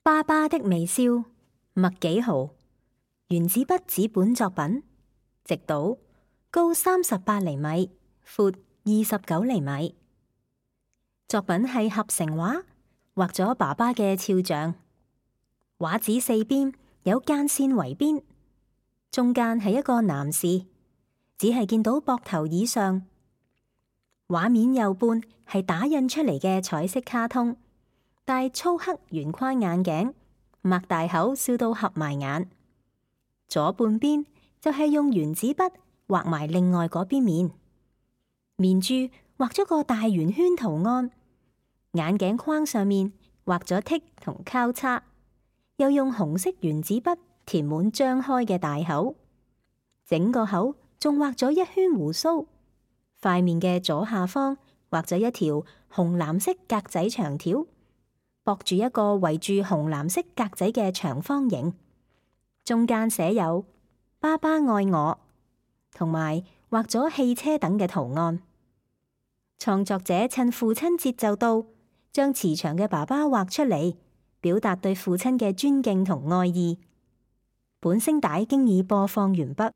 爸爸的微笑，麥幾豪，原子筆紙本作品，直島，高38厘米，闊29厘米。作品係合成畫，畫咗爸爸嘅肖像。畫紙四邊有間線圍邊，中間係一個男士，只係見到膊頭以上。畫面右半係打印出嚟嘅彩色卡通，戴粗黑圓框眼鏡，擘大口笑到合埋眼。左半邊就係用原子筆畫埋另外嗰邊面，面珠畫咗個大圓圈圖案，眼鏡框上面畫咗剔同交叉，又用紅色原子筆填滿張開嘅大口，整個口仲畫咗一圈鬍鬚。塊面嘅左下方畫咗一條紅藍色格仔長條，駁住一個圍住紅藍色格仔嘅長方形，中間寫有爸爸愛我，同埋畫咗汽車等嘅圖案。創作者趁父親節就到，將慈祥嘅爸爸畫出嚟，表達對父親嘅尊敬同愛意。本聲帶經已播放完畢。